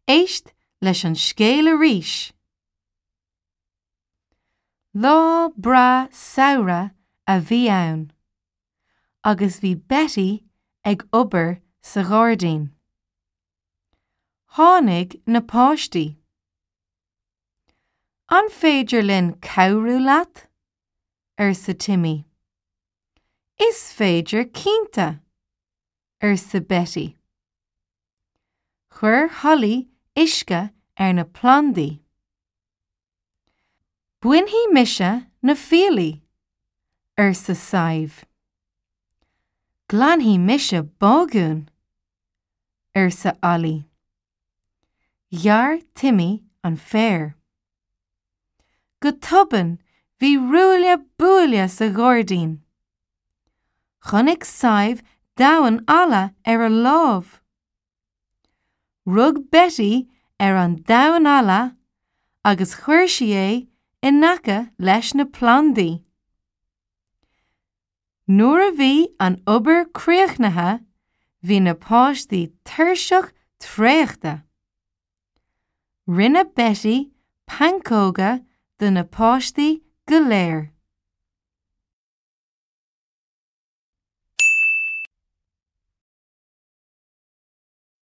Éist leis an scéal arís! Lá breá samhraidh a bhí ann agus bhí Betty ag obair sa ghairdín. Tháinig na páistí. An féidir linn cabhrú leat? arsa Timmy. Is féidir cinnte! arsa Betty. Chuir Holly uisce ar na plandaí. Bainfidh mise na fiailí, arsa Sadhbh. Glanfaidh mise bágún, arsa Ollie. Ghearr Timmy an féar. Go tobann bhí ruaille buaille sa ghairdín. Chonaic Sadhbh damhán alla ar a lámh. Rug Betty ar an damhán alla agus chuir sí é in aice leis na plandaí. Nuair a bhí an obair críochnaithe bhí na páistí tuirseach traochta. Rinne Betty pancóga do na páistí go léir.